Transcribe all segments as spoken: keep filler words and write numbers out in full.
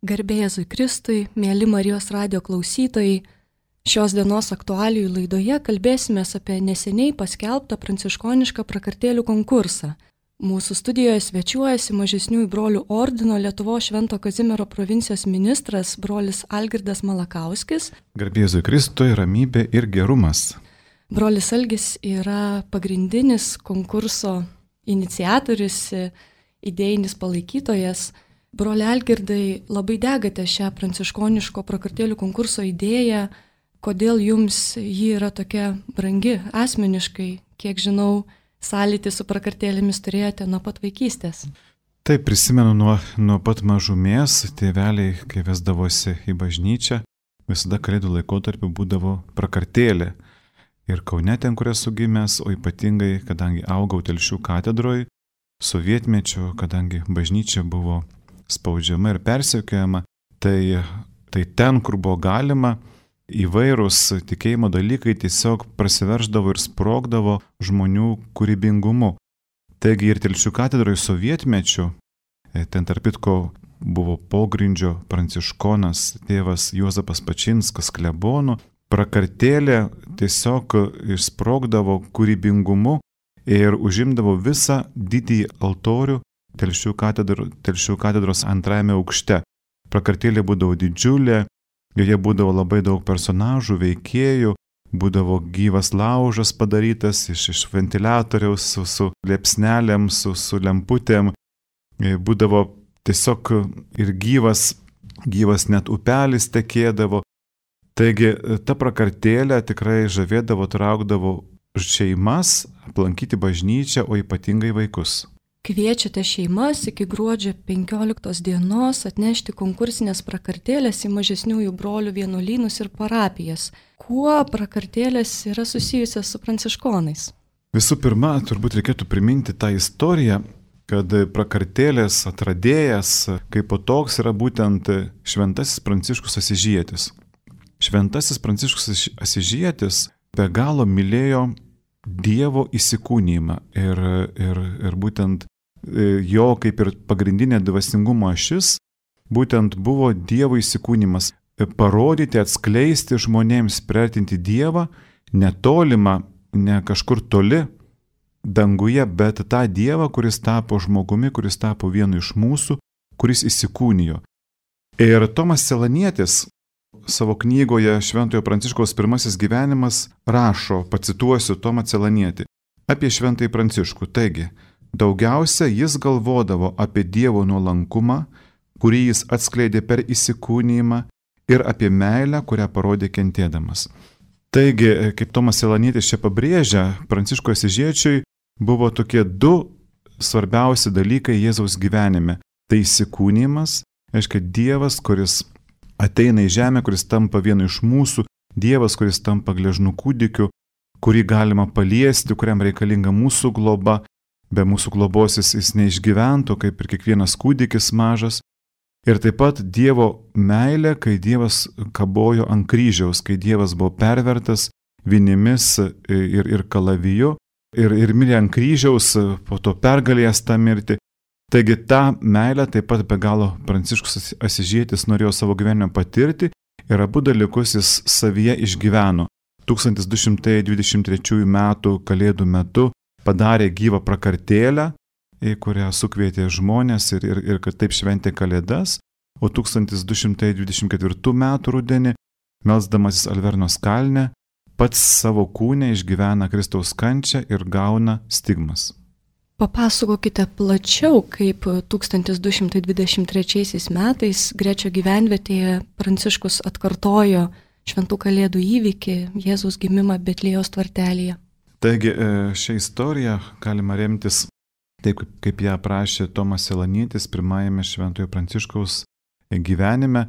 Garbė Jėzui Kristui, mėly Marijos radijo klausytojai, šios dienos aktualijų laidoje kalbėsime apie neseniai paskelbtą pranciškonišką prakartėlių konkursą. Mūsų studijoje svečiuojasi Mažesniųjų brolių ordino Lietuvos Švento Kazimiero provincijos ministras brolis Algirdas Malakauskis. Garbė Jėzui Kristui, ramybė ir gerumas. Brolis Algis yra pagrindinis konkurso iniciatorius, idėjinis palaikytojas. Broli Algirdai, labai degate šią pranciškoniško prakartėlių konkurso idėją. Kodėl jums ji yra tokia brangi asmeniškai? Kiek žinau, sąlytį su prakartėlėmis turėjote nuo pat vaikystės. Taip, prisimenu nuo, nuo pat mažumės, tėveliai, kai vesdavosi į bažnyčią, visada kalėdų laikotarpiu būdavo prakartėlė. Ir Kaune ten, kur esu gimęs, o ypatingai, kadangi augau Telšių katedroje, sovietmečiu, kadangi bažnyčia buvo spaudžiama ir persekiojama, tai, tai ten, kur buvo galima, įvairūs tikėjimo dalykai tiesiog prasiverždavo ir sprogdavo žmonių kūrybingumu. Taigi ir Telšių katedroje sovietmečiu, ten tarp kitko buvo pogrindžio pranciškonas tėvas Juozapas Pačinskas klebonu, prakartėlė tiesiog išsprogdavo kūrybingumu ir užimdavo visą didįjį altorių Telšių katedro, Telšių katedros antrajame aukšte. Prakartėlė būdavo didžiulė, joje būdavo labai daug personažų, veikėjų, būdavo gyvas laužas padarytas iš, iš ventiliatoriaus su, su liepsnelėm, su, su lemputėm, būdavo tiesiog ir gyvas, gyvas net upelis tekėdavo. Taigi ta prakartėlė tikrai žavėdavo, traukdavo šeimas aplankyti bažnyčią, o ypatingai vaikus. Kviečiate šeimas iki gruodžio penkioliktos dienos atnešti konkursinės prakartėlės į Mažesniųjų brolių vienuolynus ir parapijas. Kuo prakartėlės yra susijusios su pranciškonais? Visų pirma, turbūt reikėtų priminti tą istoriją, kad prakartėlės atradėjas kaip po toks yra būtent šventasis Pranciškus Asyžietis. Šventasis Pranciškus Asyžietis be galo mylėjo Dievo įsikūnijimą ir, ir, ir būtent jo kaip ir pagrindinė dvasingumo ašis būtent buvo Dievo įsikūnimas. Parodyti, atskleisti žmonėms, priartinti Dievą netolimą, ne kažkur toli danguje, bet tą Dievą, kuris tapo žmogumi, kuris tapo vienu iš mūsų, kuris įsikūnijo. Ir Tomas Celanietis savo knygoje Šventojo Pranciškaus pirmasis gyvenimas rašo, pacituosiu Tomą Celanietį, apie Šventąjį Pranciškų. Taigi, daugiausia jis galvodavo apie Dievo nuolankumą, kurį jis atskleidė per įsikūnijimą, ir apie meilę, kurią parodė kentėdamas. Taigi, kaip Tomas Celanietis čia pabrėžia, Pranciškui Asyžiečiui buvo tokie du svarbiausi dalykai Jėzaus gyvenime. Tai įsikūnijimas, reiškia Dievas, kuris ateina į žemę, kuris tampa vienu iš mūsų, Dievas, kuris tampa gležnų kūdikiu, kurį galima paliesti, kuriam reikalinga mūsų globa. Be mūsų globos jis, jis neišgyventų, kaip ir kiekvienas kūdikis mažas. Ir taip pat Dievo meilė, kai Dievas kabojo ant kryžiaus, kai Dievas buvo pervertas vinimis ir, ir kalaviju, ir, ir mirė ant kryžiaus, po to pergalėjęs tą mirtį. Taigi tą meilę taip pat be galo Pranciškus Asyžietis norėjo savo gyvenime patirti ir abu dalykus jis savyje išgyveno. tūkstantis du šimtai dvidešimt trečiųjų metų kalėdų metu padarė gyvą prakartėlę, į kurią sukvietė žmonės ir, ir, ir kad taip šventė kalėdas, o tūkstantis du šimtai dvidešimt ketvirtų metų rudenį, melsdamasis Alvernos kalne, pats savo kūne išgyvena Kristaus kančią ir gauna stigmas. Papasakokite plačiau, kaip tūkstantis du šimtai dvidešimt trečiaisiais metais Grečio gyvenvietėje Pranciškus atkartojo šventų kalėdų įvykį, Jėzaus gimimą Betliejaus tvartelyje. Taigi šią istoriją galima remtis taip, kaip ją aprašė Tomas Celanietis pirmajame Šventojo Pranciškaus gyvenime.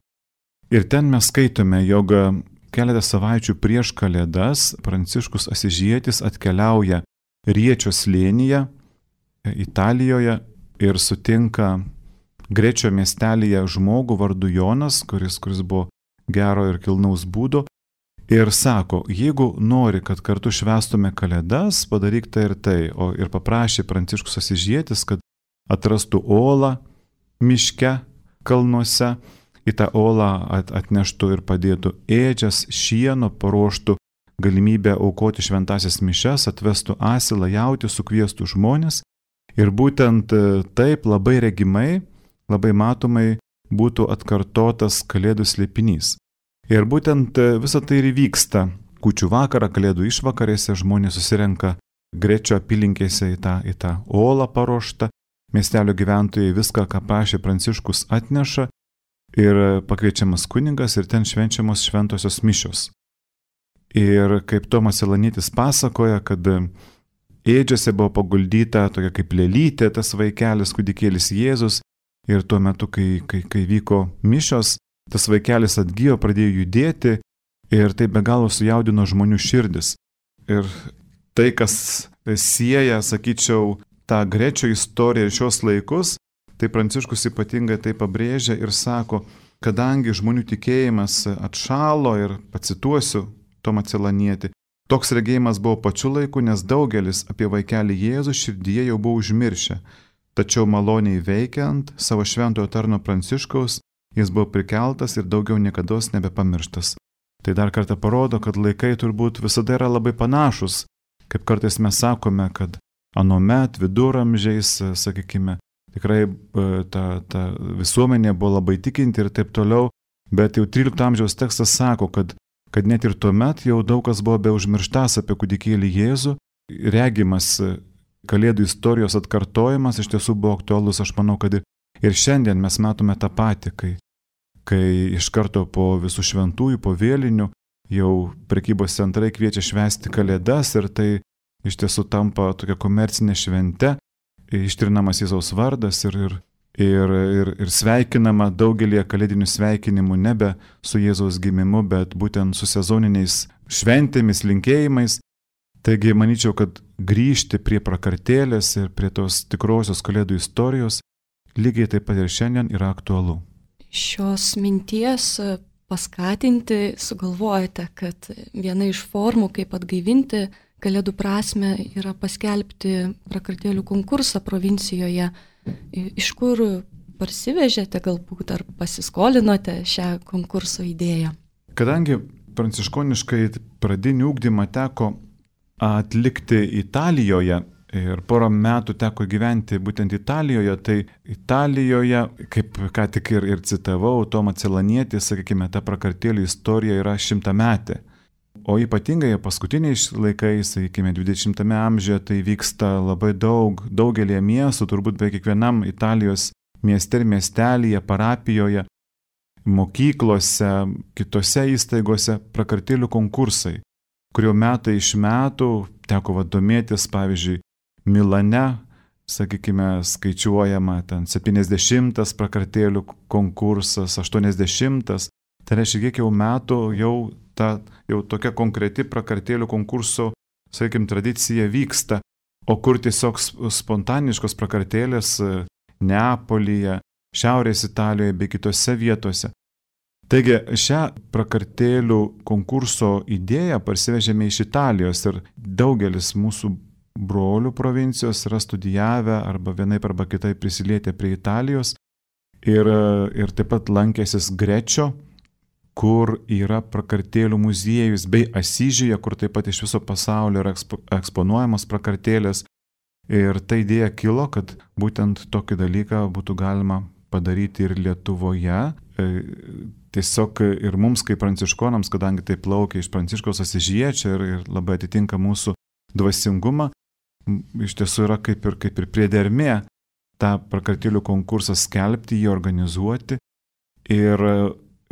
Ir ten mes skaitome, jog keletą savaičių prieš kalėdas Pranciškus Asyžietis atkeliauja Riečio slėnyje Italijoje ir sutinka Grečio miestelyje žmogų vardu Jonas, kuris, kuris buvo gero ir kilnaus būdo. Ir sako, jeigu nori, kad kartu švęstume kalėdas, padaryk tai ir tai. O ir paprašė Pranciškus Asyžietis, kad atrastų olą miške, kalnuose į tą olą atneštų ir padėtų ėdžias, šieno, paruoštų galimybę aukoti šventasias mišias, atvestų asilą, jautį, sukviestų žmonės. Ir būtent taip labai regimai, labai matomai būtų atkartotas Kalėdų slėpinys. Ir būtent visa tai ir vyksta. Kūčių vakarą, Kalėdų išvakarėse žmonės susirenka Grečio apylinkėse į tą, į tą olą paruoštą. Miestelio gyventojai viską, ką prašė Pranciškus, atneša ir pakviečiamas kunigas ir ten švenčiamos šventosios mišios. Ir kaip Tomas Elanietis pasakoja, kad ėdžiose buvo paguldyta tokia kaip lėlytė, tas vaikelis, kūdikėlis Jėzus. Ir tuo metu, kai, kai, kai vyko mišios, tas vaikelis atgijo, pradėjo judėti ir tai be galo sujaudino žmonių širdis. Ir tai, kas sieja, sakyčiau, tą Grečio istoriją ir šios laikus, tai Pranciškus ypatingai tai pabrėžia ir sako, kadangi žmonių tikėjimas atšalo, ir pacituosiu Tomą Celanietį, toks regėjimas buvo pačiu laiku, nes daugelis apie vaikelį Jėzų širdyje jau buvo užmiršę. Tačiau maloniai veikiant savo šventojo tarno Pranciškaus, jis buvo prikeltas ir daugiau niekados nebepamirštas. Tai dar kartą parodo, kad laikai turbūt visada yra labai panašus, kaip kartais mes sakome, kad anuomet viduramžiais, sakykime, tikrai ta, ta visuomenė buvo labai tikinti ir taip toliau, bet jau trylikto amžiaus tekstas sako, kad, kad net ir tuomet jau daug kas buvo be užmirštas apie kūdikėlį Jėzų, regimas Kalėdų istorijos atkartojimas iš tiesų buvo aktualus. Aš manau, kad ir šiandien mes matome tą patį, kai, kai iš karto po visų šventųjų, po vėlinių, jau prekybos centrai kviečia švęsti Kalėdas ir tai iš tiesų tampa tokia komercinė švente, ištrinamas Jėzaus vardas ir, ir, ir, ir, ir sveikinama daugelį kalėdinių sveikinimų nebe su Jėzaus gimimu, bet būtent su sezoniniais šventėmis, linkėjimais. Taigi, manyčiau, kad grįžti prie prakartėlės ir prie tos tikrosios Kalėdų istorijos lygiai taip pat ir šiandien yra aktualu. Šios minties paskatinti sugalvojate, kad viena iš formų, kaip atgaivinti Kalėdų prasmę, yra paskelbti prakartėlių konkursą provincijoje. Iš kur parsivežėte galbūt ar pasiskolinote šią konkurso idėją? Kadangi pranciškoniškai pradinį ugdymą teko atlikti Italijoje ir porą metų teko gyventi būtent Italijoje, tai Italijoje, kaip ką tik ir, ir citavau, Tomą Celanietį, sakykime, ta prakartėlių istorija yra šimtametė. O ypatingai paskutiniais laikais, sakykime, dvidešimtame amžiuje, tai vyksta labai daug, daugelį miestų, turbūt be kiekvienam Italijos mieste ir miestelyje, parapijoje, mokyklose, kitose įstaigose prakartėlių konkursai, kurio metai iš metų teko domėtis, pavyzdžiui, Milane, sakykime, skaičiuojama ten septyniasdešimtas prakartėlių konkursas, aštuoniasdešimtas, tai reiškia, kiek jau metų jau ta jau tokia konkreti prakartėlių konkurso, sakykime, tradicija vyksta, o kur tiesiog spontaniškos prakartėlės Neapolyje, Šiaurės Italijoje bei kitose vietose. Taigi šią prakartėlių konkurso idėją parsivežėme iš Italijos ir daugelis mūsų brolių provincijos yra studijavę arba vienaip arba kitaip prisilietę prie Italijos ir, ir taip pat lankėsis Grečio, kur yra prakartėlių muziejus, bei Asyžiuje, kur taip pat iš viso pasaulio yra ekspo, eksponuojamos prakartėlės. Ir ta idėja kilo, kad būtent tokį dalyką būtų galima padaryti ir Lietuvoje. Tiesiog ir mums kaip pranciškonams, kadangi tai plaukia iš Pranciškaus Asyžiečio ir, ir labai atitinka mūsų dvasingumą, iš tiesų yra kaip ir, kaip ir priedermė tą prakartėlių konkursą skelbti, jį organizuoti. Ir,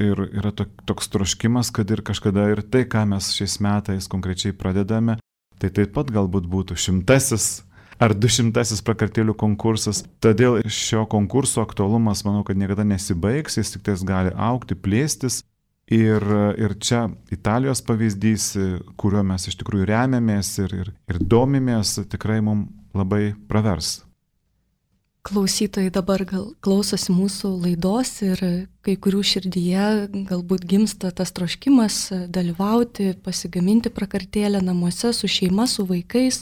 ir yra toks troškimas, kad ir kažkada ir tai, ką mes šiais metais konkrečiai pradedame, tai taip pat galbūt būtų šimtasis ar dušimtasis prakartėlių konkursas. Todėl šio konkurso aktualumas, manau, kad niekada nesibaigs, jis tik tais gali augti, plėstis. Ir, ir čia Italijos pavyzdys, kuriuo mes iš tikrųjų remiamės ir, ir, ir domimės, tikrai mums labai pravers. Klausytojai dabar gal klausosi mūsų laidos ir kai kurių širdyje galbūt gimsta tas troškimas dalyvauti, pasigaminti prakartėlę namuose su šeima, su vaikais.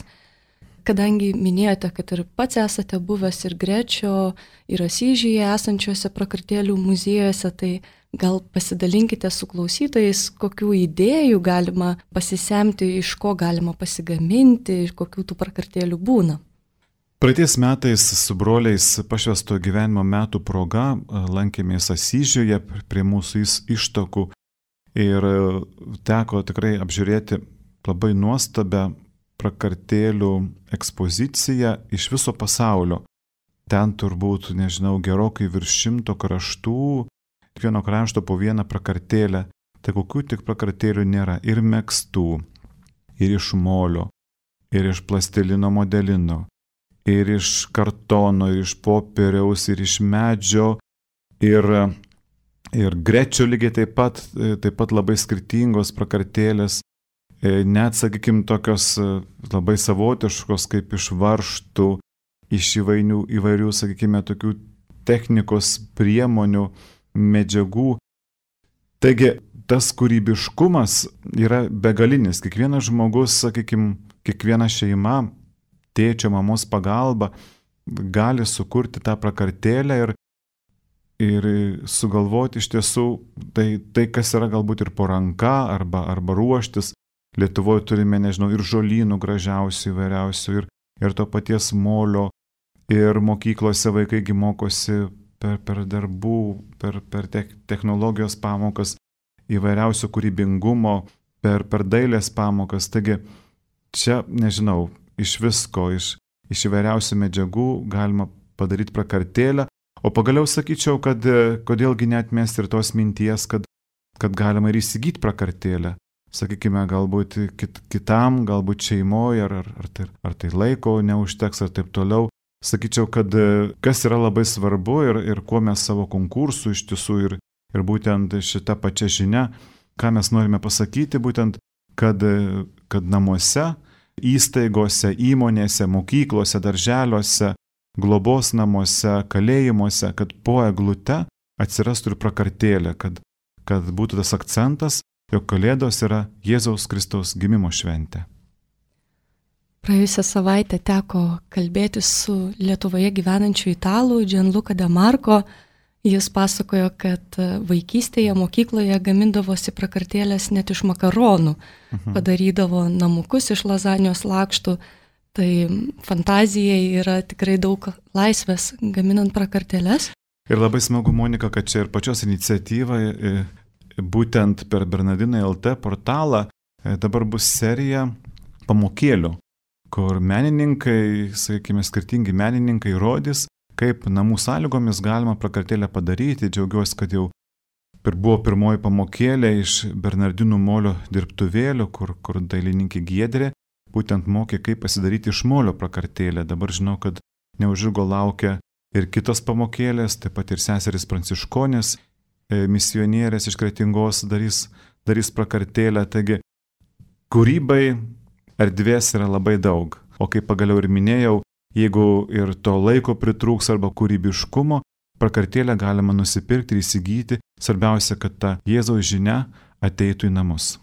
Kadangi minėjote, kad ir pats esate buvęs ir Grečio, ir Asyžiuje esančiuose prakartėlių muziejuose, tai gal pasidalinkite su klausytojais, kokių idėjų galima pasisemti, iš ko galima pasigaminti, iš kokių tų prakartėlių būna. Praeitais metais su broliais pašvęsto gyvenimo metų proga lankėmės Asyžiuje prie mūsų ištakų ir teko tikrai apžiūrėti labai nuostabią prakartėlių ekspoziciją iš viso pasaulio. Ten turbūt, nežinau, gerokai virš šimto kraštų, kiekvieno krašto po vieną prakartėlę. Tai kokių tik prakartėlių nėra. Ir megztų, ir iš molio, ir iš plastilino modelino, ir iš kartono, ir iš popieriaus, ir iš medžio, ir, ir Grečio lygiai taip pat, taip pat labai skirtingos prakartėlės. Net, sakykime, tokios labai savotiškos, kaip iš varžtų, iš įvairių, įvairių, sakykime, tokių technikos priemonių, medžiagų. Taigi, tas kūrybiškumas yra begalinis. Kiekvienas žmogus, sakykime, kiekviena šeima, tėčio, mamos pagalba gali sukurti tą prakartėlę ir, ir sugalvoti iš tiesų tai, tai, kas yra galbūt ir po ranka arba, arba ruoštis. Lietuvoje turime, nežinau, ir žolynų gražiausių įvairiausių, ir, ir to paties molio, ir mokyklose vaikai mokosi per, per darbų, per, per te, technologijos pamokas, įvairiausio kūrybingumo, per, per dailės pamokas. Taigi čia, nežinau, iš visko, iš, iš įvairiausių medžiagų galima padaryti prakartėlę, o pagaliau sakyčiau, kad kodėlgi neatmesti ir tos minties, kad, kad galima ir įsigyti prakartėlę. Sakykime, galbūt kit, kitam, galbūt šeimoje, ar, ar, ar, tai, ar tai laiko neužteks, ar taip toliau. Sakyčiau, kad kas yra labai svarbu ir, ir kuo mes savo konkursų iš tiesų ir, ir būtent šita pačia žinia, ką mes norime pasakyti, būtent, kad, kad namuose, įstaigose, įmonėse, mokyklose, darželiuose, globos namuose, kalėjimuose, kad po eglute atsirastų ir prakartėlė, kad, kad būtų tas akcentas, jog Kalėdos yra Jėzaus Kristaus gimimo šventė. Praėjusią savaitę teko kalbėti su Lietuvoje gyvenančiu italų Gianluca De Marco. Jis pasakojo, kad vaikystėje mokykloje gamindavosi prakartėlės net iš makaronų, mhm. padarydavo namukus iš lazanijos lakštų. Tai fantazijai yra tikrai daug laisvės gaminant prakartėlės. Ir labai smagu, Monika, kad čia ir pačios iniciatyva, būtent per Bernardinai L T portalą dabar bus serija pamokėlių, kur menininkai, sakykime, skirtingi menininkai rodys, kaip namų sąlygomis galima prakartėlę padaryti. Džiaugiuosi, kad jau buvo pirmoji pamokėlė iš Bernardinų molio dirbtuvėlių, kur, kur dailininkė Giedrė būtent mokė, kaip pasidaryti iš molio prakartėlę. Dabar žinau, kad neužilgo laukia ir kitos pamokėlės, taip pat ir seserys pranciškonės, misionierės iš Kretingos darys, darys prakartėlę. Taigi, kūrybai erdvės yra labai daug. O kaip pagaliau ir minėjau, jeigu ir to laiko pritrūks arba kūrybiškumo, prakartėlę galima nusipirkti ir įsigyti. Svarbiausia, kad ta Jėzaus žinia ateitų į namus.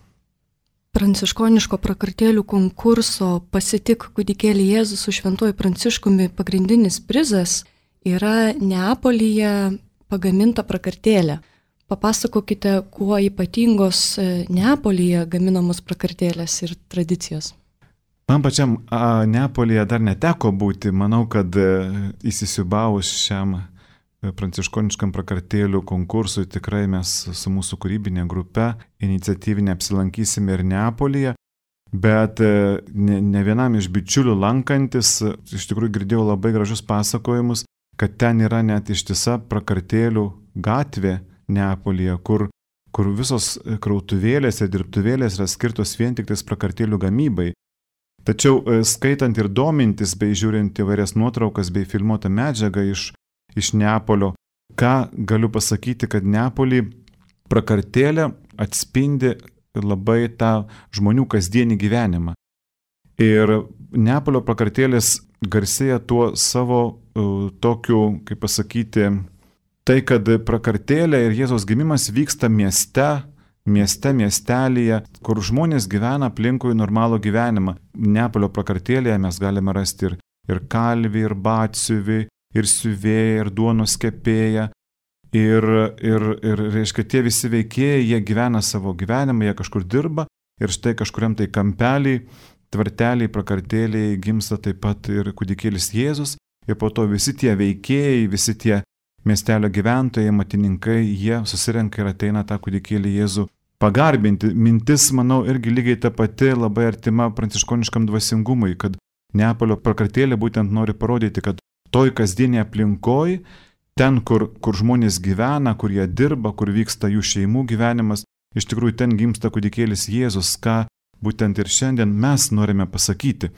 Pranciškoniško prakartėlių konkurso Pasitik kūdikėlį Jėzų su Šventuoju Pranciškumi pagrindinis prizas yra Neapolyje pagaminta prakartėlė. Papasakokite, kuo ypatingos Neapolyje gaminamos prakartėlės ir tradicijos. Man pačiam a, Neapolyje dar neteko būti. Manau, kad įsisiūbavus šiam pranciškoniškam prakartėlių konkursui tikrai mes su mūsų kūrybinė grupe iniciatyvinė apsilankysime ir Neapolyje. Bet ne, ne vienam iš bičiulių lankantis, iš tikrųjų girdėjau labai gražus pasakojimus, kad ten yra net ištisa prakartėlių gatvė Neapolyje, kur, kur visos krautuvėlės ir dirbtuvėlės yra skirtos vien tik tais prakartėlių gamybai. Tačiau skaitant ir domintis bei žiūrint įvairias nuotraukas bei filmuotą medžiagą iš, iš Neapolio, ką galiu pasakyti, kad Neapolį prakartėlė atspindi labai tą žmonių kasdienį gyvenimą. Ir Neapolio prakartėlės garsėja tuo savo uh, tokiu, kaip pasakyti, tai, kad prakartėlė ir Jėzaus gimimas vyksta mieste, mieste, miestelėje, kur žmonės gyvena aplinkui normalų gyvenimą. Neapolio prakartėlėje mes galime rasti ir, ir kalvį, ir batsiuvį, ir siuvėją, ir duonos kepėją. Ir, ir, ir, reiškia, tie visi veikėjai, jie gyvena savo gyvenimą, jie kažkur dirba ir štai kažkuriam tai kampeliai, tvarteliai, prakartėliai gimsta taip pat ir kūdikėlis Jėzus. Ir po to visi tie veikėjai, visi tie miestelio gyventojai, matininkai, jie susirenka ir ateina tą kūdikėlį Jėzų pagarbinti. Mintis, manau, irgi lygiai ta pati, labai artima pranciškoniškam dvasingumui, kad Neapolio prakartėlė būtent nori parodyti, kad toj kasdienėje aplinkoje, ten, kur, kur žmonės gyvena, kur jie dirba, kur vyksta jų šeimų gyvenimas, iš tikrųjų ten gimsta kūdikėlis Jėzus, ką būtent ir šiandien mes norime pasakyti,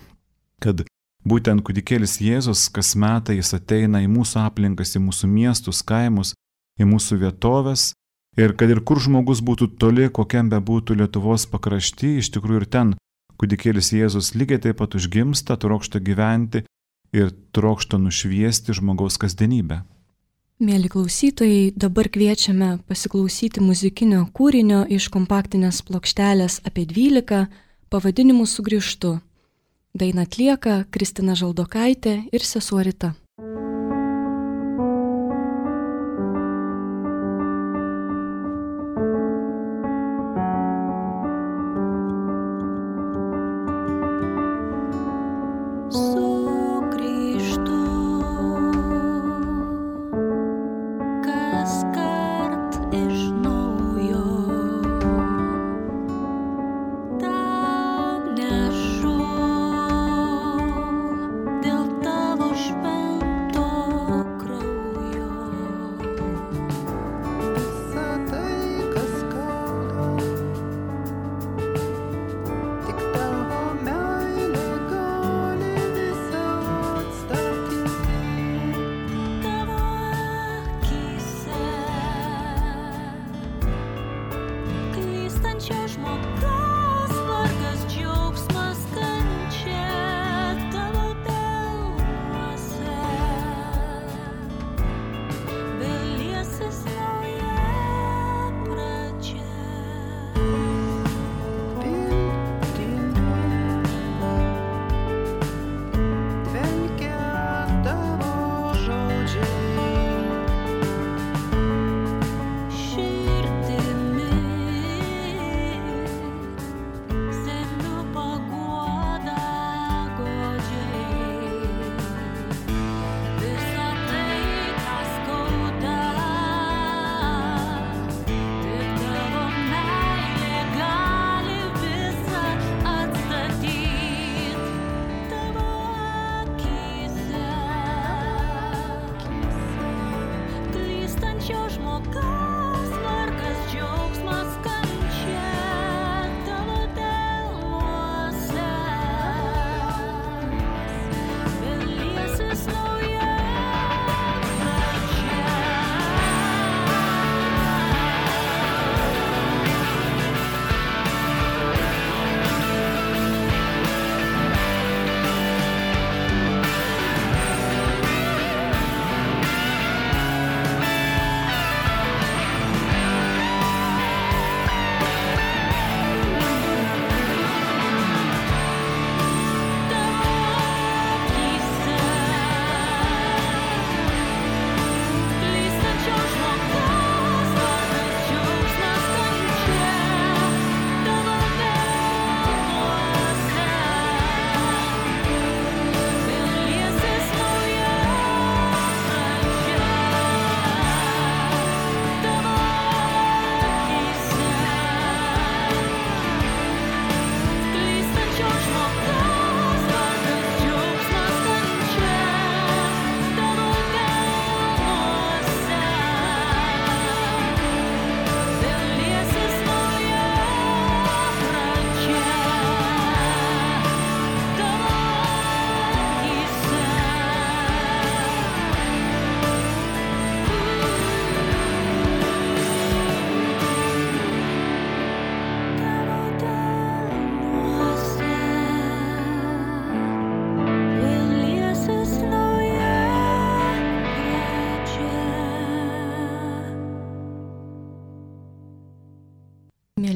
kad būtent kūdikėlis Jėzus kas metą jis ateina į mūsų aplinkas, į mūsų miestus, kaimus, į mūsų vietovės ir kad ir kur žmogus būtų toli, kokiam be būtų Lietuvos pakrašty, iš tikrųjų ir ten kūdikėlis Jėzus lygiai taip pat užgimsta, trokšta gyventi ir trokšta nušviesti žmogaus kasdienybę. Mėly klausytojai, dabar kviečiame pasiklausyti muzikinio kūrinio iš kompaktinės plokštelės apie dvylika pavadinimu Sugrįžtu. Dainą atlieka Kristina Žaldokaitė ir sesuo Rita. Dėl tavo šventės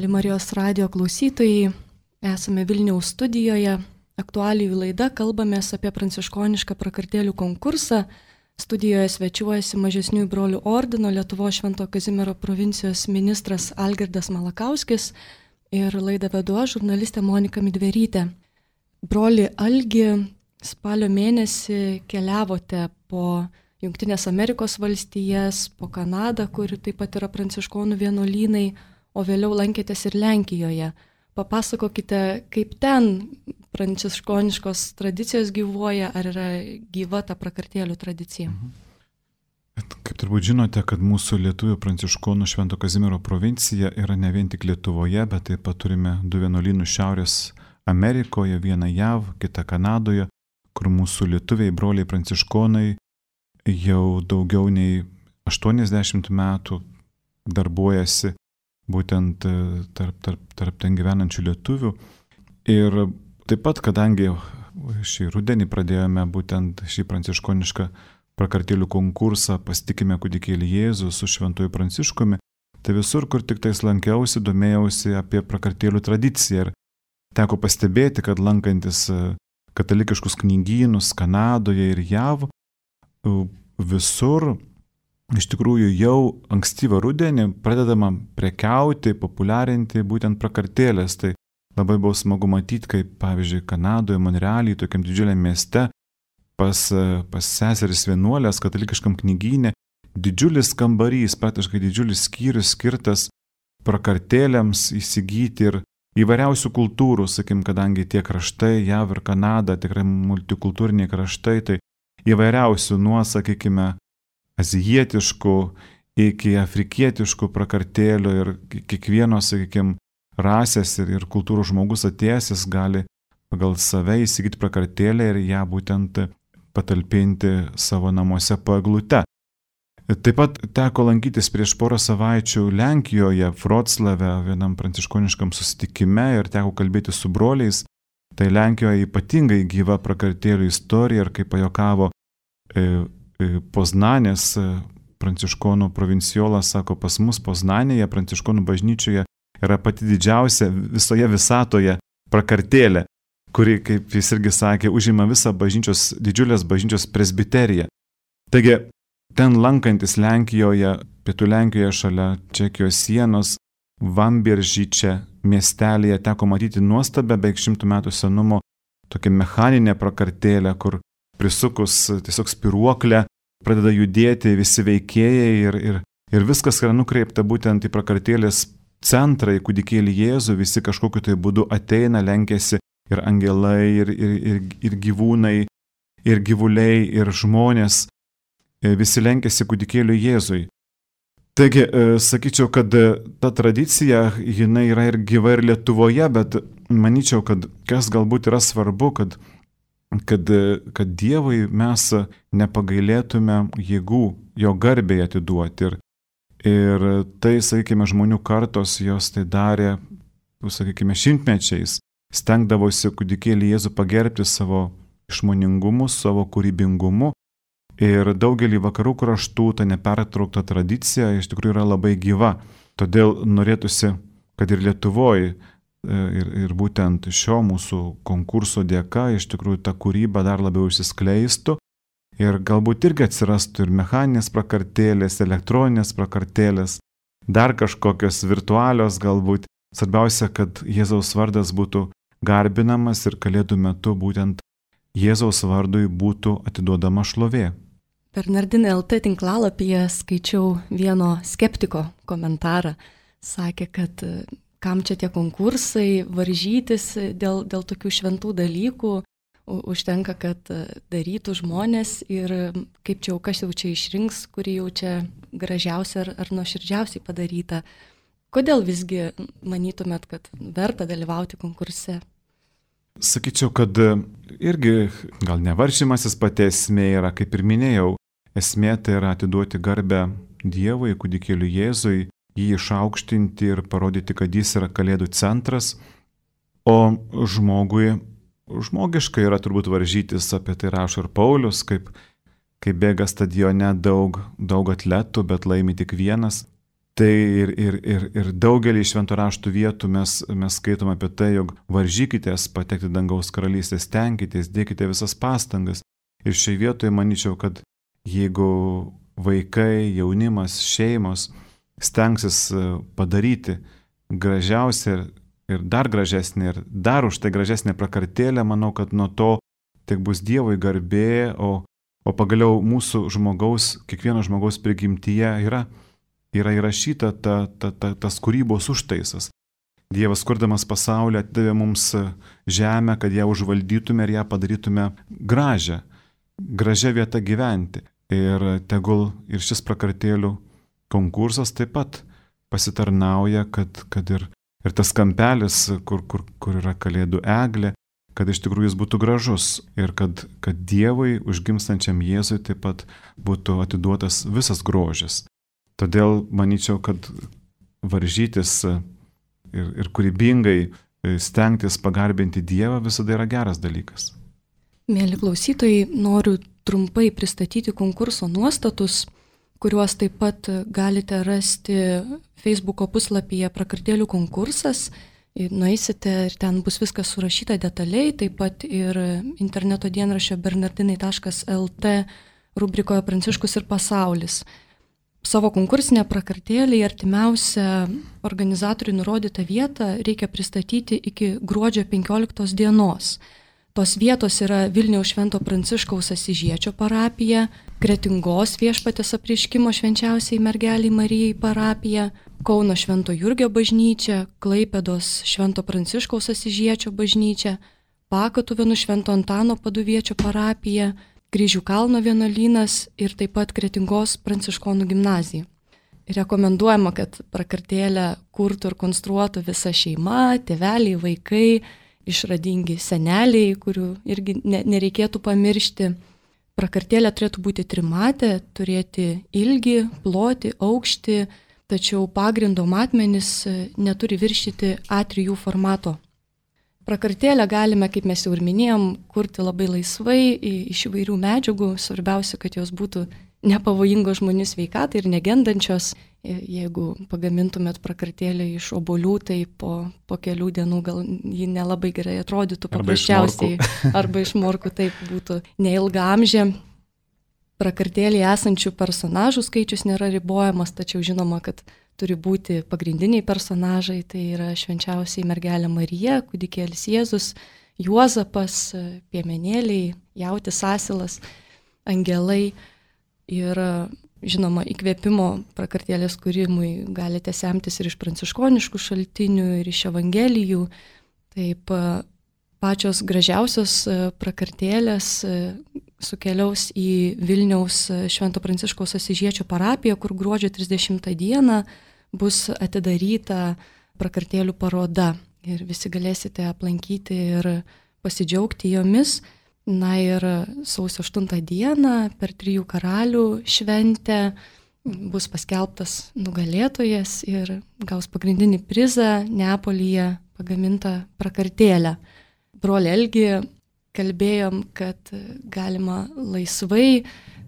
Mėly Marijos radio klausytojai, esame Vilniaus studijoje. Aktualijų laida, kalbamės apie pranciškonišką prakartėlių konkursą. Studijoje svečiuojasi Mažesniųjų brolių ordino Lietuvos Švento Kazimiero provincijos ministras Algirdas Malakauskis ir laidą vedu aš, žurnalistė Monika Midverytė. Broli Algi, spalio mėnesį keliavote po Jungtinės Amerikos valstijas, po Kanadą, kur taip pat yra pranciškonų vienuolynai, o vėliau lankėtės ir Lenkijoje. Papasakokite, kaip ten pranciškoniškos tradicijos gyvuoja, ar yra gyva ta prakartėlių tradicija. Kaip turbūt žinote, kad mūsų lietuvių pranciškonų Švento Kazimiero provincija yra ne vien tik Lietuvoje, bet taip pat turime du vienuolynus Šiaurės Amerikoje, vieną J A V, kitą Kanadoje, kur mūsų lietuviai broliai pranciškonai jau daugiau nei aštuoniasdešimt metų darbuojasi būtent tarp, tarp, tarp ten gyvenančių lietuvių. Ir taip pat, kadangi šį rudenį pradėjome būtent šį pranciškonišką prakartėlių konkursą Pasitikime kūdikėlį Jėzų su Šventuoju Pranciškumi, tai visur, kur tik tais lankiausi, domėjausi apie prakartėlių tradiciją. Ir teko pastebėti, kad lankantis katalikiškus knygynus Kanadoje ir J A V, visur iš tikrųjų jau ankstyvą rudenį pradedama prekiauti, populiarinti būtent prakartėlės. Tai labai buvo smagu matyti, kaip pavyzdžiui Kanadoje, Monrealyje, tokiam didžiuliam mieste, pas, pas seseris vienuolės katalikiškam knygyne, didžiulis kambarys, praktiškai didžiulis skyrius skirtas prakartėlėms įsigyti ir įvairiausių kultūrų, sakim, kadangi tie kraštai, J A V ir Kanada, tikrai multikultūriniai kraštai, tai įvairiausių nuo, sakykime, azijietiškų iki afrikietiškų prakartėlių ir kiekvieno, sakykime, rasės ir, ir kultūrų žmogus atėjęs gali pagal save įsigyti prakartėlę ir ją būtent patalpinti savo namuose po eglute. Taip pat teko lankytis prieš porą savaičių Lenkijoje, Vroclave, vienam pranciškoniškam susitikime ir teko kalbėti su broliais. Tai Lenkijoje ypatingai gyva prakartėlių istorija ir kaip pajokavo e, e, Poznanės e, pranciškonų provinciolas, sako, pas mus Poznanėje pranciškonų bažnyčioje yra pati didžiausia visoje visatoje prakartėlė, kuri, kaip jis irgi sakė, užima visą bažnyčios, didžiulės bažnyčios presbiteriją. Taigi, ten lankantis Lenkijoje, pietų Lenkijoje šalia Čekijos sienos, Vambieržyčia miestelėje teko matyti nuostabę beveik šimtų metų senumo tokią mechaninę prakartėlę, kur prisukus tiesiog spiruoklę pradeda judėti visi veikėjai ir, ir, ir viskas yra nukreipta būtent į prakartėlės centrą, į kūdikėlį Jėzų, visi kažkokiu tai būdu ateina, lenkiasi ir angelai, ir, ir, ir, ir gyvūnai, ir gyvuliai, ir žmonės, visi lenkiasi kūdikėliui Jėzui. Taigi, sakyčiau, kad ta tradicija, jinai yra ir gyva ir Lietuvoje, bet manyčiau, kad kas galbūt yra svarbu, kad, kad, kad Dievui mes nepagailėtume jėgų jo garbei atiduoti. Ir, ir tai, sakykime, žmonių kartos jos tai darė, sakykime, šimtmečiais, stengdavosi kūdikėlį Jėzų pagerbti savo išmoningumu, savo kūrybingumu. Ir daugelį vakarų kraštų ta nepertraukta tradicija iš tikrųjų yra labai gyva. Todėl norėtųsi, kad ir Lietuvoje ir, ir būtent šio mūsų konkurso dėka iš tikrųjų ta kūryba dar labiau išsiskleistų ir galbūt irgi atsirastų ir mechaninės prakartėlės, elektroninės prakartėlės, dar kažkokios virtualios galbūt. Svarbiausia, kad Jėzaus vardas būtų garbinamas ir kalėdų metu būtent Jėzaus vardui būtų atiduodama šlovė. Bernardinai L T tinklalapyje skaičiau vieno skeptiko komentarą. Sakė, kad kam čia tie konkursai, varžytis dėl, dėl tokių šventų dalykų, užtenka, kad darytų žmonės ir kaip čia jau kas jau čia išrinks, kuri jau čia gražiausia ar, ar nuoširdžiausiai padaryta. Kodėl visgi manytumėt, kad verta dalyvauti konkurse? Sakyčiau, kad irgi gal nevaršymasis pati esmė yra, kaip ir minėjau, esmė tai yra atiduoti garbę Dievui, kūdikėliui Jėzui, jį išaukštinti ir parodyti, kad jis yra kalėdų centras, o žmogui, žmogiškai yra turbūt varžytis, apie tai rašo ir Paulius, kaip, kaip bėga stadione daug, daug atletų, bet laimi tik vienas. Tai ir, ir, ir, ir daugelį švento raštų vietų mes, mes skaitom apie tai, jog varžykitės patekti dangaus karalystės, tenkitės, dėkite visas pastangas. Ir šiai vietoje manyčiau, kad jeigu vaikai, jaunimas, šeimos stengsis padaryti gražiausią ir dar gražesnį ir dar už tai gražesnę prakartėlę, manau, kad nuo to tik bus Dievui garbė, o, o pagaliau mūsų žmogaus, kiekvieno žmogaus prigimtyje yra yra įrašyta ta, ta, ta, tas kūrybos užtaisas. Dievas, kurdamas pasaulį, atidavė mums žemę, kad ją užvaldytume ir ją padarytume gražią, gražią vietą gyventi. Ir tegul ir šis prakartėlių konkursas taip pat pasitarnauja, kad, kad ir, ir tas kampelis, kur, kur, kur yra kalėdų eglė, kad iš tikrųjų jis būtų gražus ir kad, kad Dievui, užgimstančiam Jėzui, taip pat būtų atiduotas visas grožis. Todėl manyčiau, kad varžytis ir, ir kūrybingai stengtis pagarbinti Dievą visada yra geras dalykas. Mėly klausytojai, noriu trumpai pristatyti konkurso nuostatus, kuriuos taip pat galite rasti Facebooko puslapyje Prakartėlių konkursas. Nueisite ir ten bus viskas surašyta detaliai, taip pat ir interneto dienraščio bernardinai taškas el tė rubrikoje Pranciškus ir pasaulis. Savo konkursinę prakartėlį artimiausią organizatorių nurodytą vietą reikia pristatyti iki gruodžio penkioliktos dienos. Tos vietos yra Vilniaus Švento Pranciškaus Asyžiečio parapija, Kretingos Viešpaties Apreiškimo Švenčiausiai Mergeliai Marijai parapija, Kauno Švento Jurgio bažnyčia, Klaipėdos Švento Pranciškaus Asyžiečio bažnyčia, Pakatuvėnų Švento Antano Paduviečio parapija, Kryžių kalno vienuolynas ir taip pat Kretingos pranciškonų gimnazija. Rekomenduojama, kad prakartėlę kurtų ir konstruotų visa šeima, tėveliai, vaikai, išradingi seneliai, kurių irgi nereikėtų pamiršti. Prakartėlė turėtų būti trimatė, turėti ilgį, plotį, aukštį, tačiau pagrindo matmenys neturi viršyti A trys formato. Prakartėlę galime, kaip mes jau ir minėjom, kurti labai laisvai iš įvairių medžiagų. Svarbiausia, kad jos būtų nepavojingos žmonių sveikatai ir negendančios. Jeigu pagamintumėt prakartėlę iš obuolių, tai po, po kelių dienų gal ji nelabai gerai atrodytų paprasčiausiai. Arba iš morkų, taip būtų neilgaamžė. Prakartėlėje esančių personažų skaičius nėra ribojamas, tačiau žinoma, kad turi būti pagrindiniai personažai, tai yra švenčiausiai mergelė Marija, kūdikėlis Jėzus, Juozapas, piemenėliai, jautis asilas, angelai. Ir žinoma, įkvėpimo prakartėlės kūrimui galite semtis ir iš pranciškoniškų šaltinių, ir iš evangelijų. Taip, pačios gražiausios prakartėlės sukeliaus į Vilniaus Švento Pranciškaus Asyžiečio parapiją, kur gruodžio trisdešimtą dieną bus atidaryta prakartėlių paroda. Ir visi galėsite aplankyti ir pasidžiaugti jomis. Na ir sausio aštuntą dieną per Trijų karalių šventę bus paskelbtas nugalėtojas ir gaus pagrindinį prizą Neapolyje pagamintą prakartėlę. Brolį Elgį kalbėjom, kad galima laisvai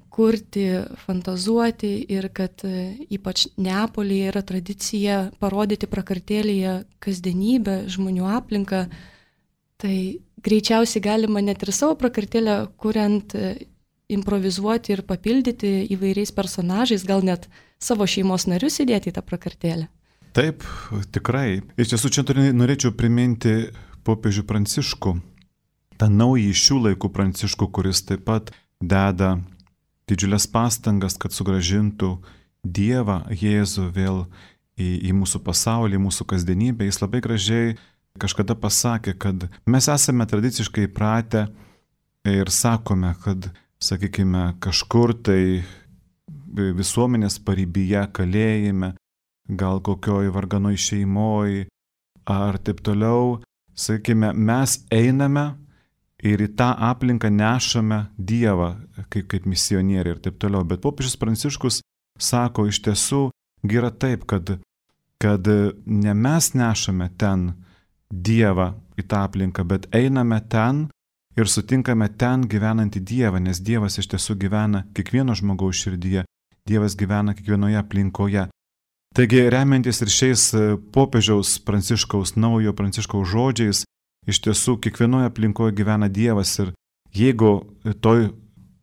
kurti, fantazuoti ir kad ypač Neapolyje yra tradicija parodyti prakartėlėje kasdienybę, žmonių aplinką. Tai greičiausiai galima net ir savo prakartėlę kuriant, improvizuoti ir papildyti įvairiais personažais, gal net savo šeimos narius įdėti į tą prakartėlę. Taip, tikrai. Iš tiesų čia norėčiau priminti popiežių Pranciškų, tą naują šių laikų Pranciškų, kuris taip pat deda didžiulės pastangas, kad sugrąžintų Dievą, Jėzų vėl į, į mūsų pasaulį, į mūsų kasdienybę. Jis labai gražiai kažkada pasakė, kad mes esame tradiciškai įpratę ir sakome, kad, sakykime, kažkur tai visuomenės paribyje, kalėjime, gal kokioj varganoj šeimoj ar taip toliau, sakykime, mes einame ir į tą aplinką nešame Dievą kaip, kaip misionieriai ir taip toliau. Bet popiežius Pranciškus sako, iš tiesų yra taip, kad, kad ne mes nešame ten Dievą į tą aplinką, bet einame ten ir sutinkame ten gyvenantį Dievą, nes Dievas iš tiesų gyvena kiekvieno žmogaus širdyje, Dievas gyvena kiekvienoje aplinkoje. Taigi, remiantis ir šiais popiežiaus Pranciškaus, naujo Pranciškaus žodžiais, iš tiesų kiekvienoje aplinkoje gyvena Dievas ir jeigu toj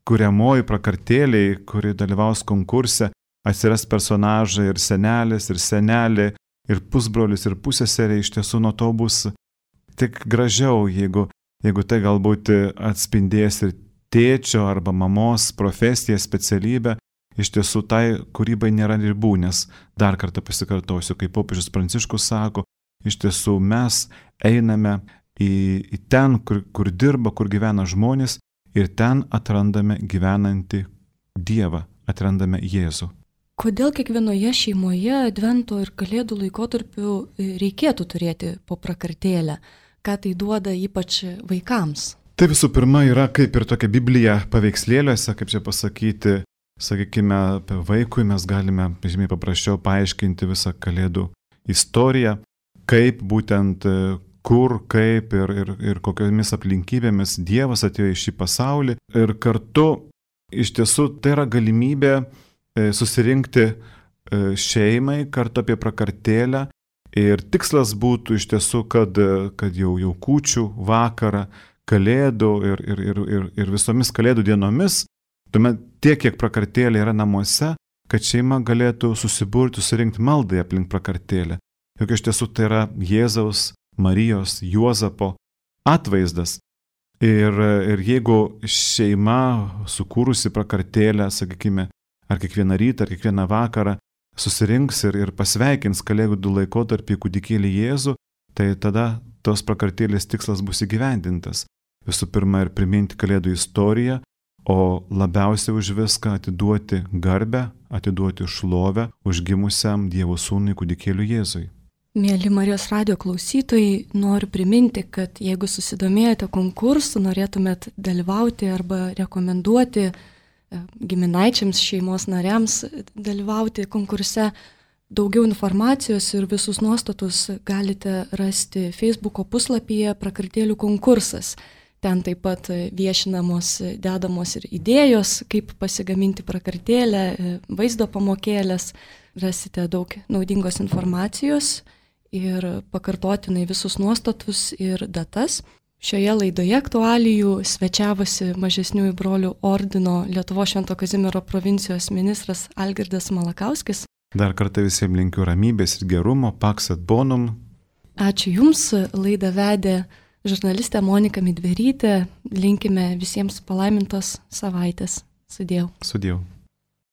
kuriamoji prakartėliai, kuri dalyvaus konkurse, atsiras personažai ir senelis, ir senelė, ir pusbrolis, ir pusseserė, iš tiesų nuo to bus tik gražiau, jeigu, jeigu tai galbūt atspindės ir tėčio arba mamos profesiją, specialybę, iš tiesų tai kūrybai nėra ribų, nes dar kartą pasikartosiu, kaip popiežius Pranciškus sako, iš tiesų mes einame į, į ten, kur, kur dirba, kur gyvena žmonės ir ten atrandame gyvenantį Dievą, atrandame Jėzų. Kodėl kiekvienoje šeimoje Advento ir Kalėdų laikotarpiu reikėtų turėti po prakartėlę? Ką tai duoda ypač vaikams? Tai visų pirma yra kaip ir tokia Biblija paveikslėliuose, kaip čia pasakyti, sakykime, apie vaikui mes galime žymiai paprasčiau paaiškinti visą Kalėdų istoriją, kaip būtent kur, kaip ir, ir, ir kokiomis aplinkybėmis Dievas atėjo į šį pasaulį. Ir kartu iš tiesų tai yra galimybė susirinkti šeimai kartu apie prakartėlę. Ir tikslas būtų iš tiesų, kad, kad jau, jau kūčių vakarą, Kalėdų ir, ir, ir, ir, ir visomis Kalėdų dienomis, tuomet tiek, kiek prakartėlė yra namuose, kad šeima galėtų susiburti, susirinkti maldai aplink prakartėlę. Juk iš tiesų tai yra Jėzaus, Marijos, Juozapo atvaizdas. Ir, ir jeigu šeima sukūrusi prakartėlę, sakykime, ar kiekvieną rytą, ar kiekvieną vakarą susirinks ir, ir pasveikins Kalėdų laikotarpį kūdikėlį Jėzų, tai tada tos prakartėlės tikslas bus įgyvendintas. Visų pirma ir priminti Kalėdų istoriją, o labiausiai už viską atiduoti garbę, atiduoti šlovę užgimusiam Dievo sūnui kūdikėliui Jėzui. Mėly Marijos radijo klausytojai, noriu priminti, kad jeigu susidomėjote konkursu, norėtumėt dalyvauti arba rekomenduoti giminaičiams, šeimos nariams dalyvauti konkurse, daugiau informacijos ir visus nuostatus galite rasti Facebooko puslapyje Prakartėlių konkursas. Ten taip pat viešinamos, dedamos ir idėjos, kaip pasigaminti prakartėlę, vaizdo pamokėlės. Rasite daug naudingos informacijos ir pakartotinai visus nuostatus ir datas. Šioje laidoje aktualijų svečiavosi Mažesniųjų brolių ordino Lietuvos Švento Kazimiero provincijos ministras Algirdas Malakauskis. Dar kartą visiems linkiu ramybės ir gerumo, pax et bonum. Ačiū Jums, laidą vedė žurnalistė Monika Midverytė. Linkime visiems palaimintos savaitės. Sudiev. Sudiev.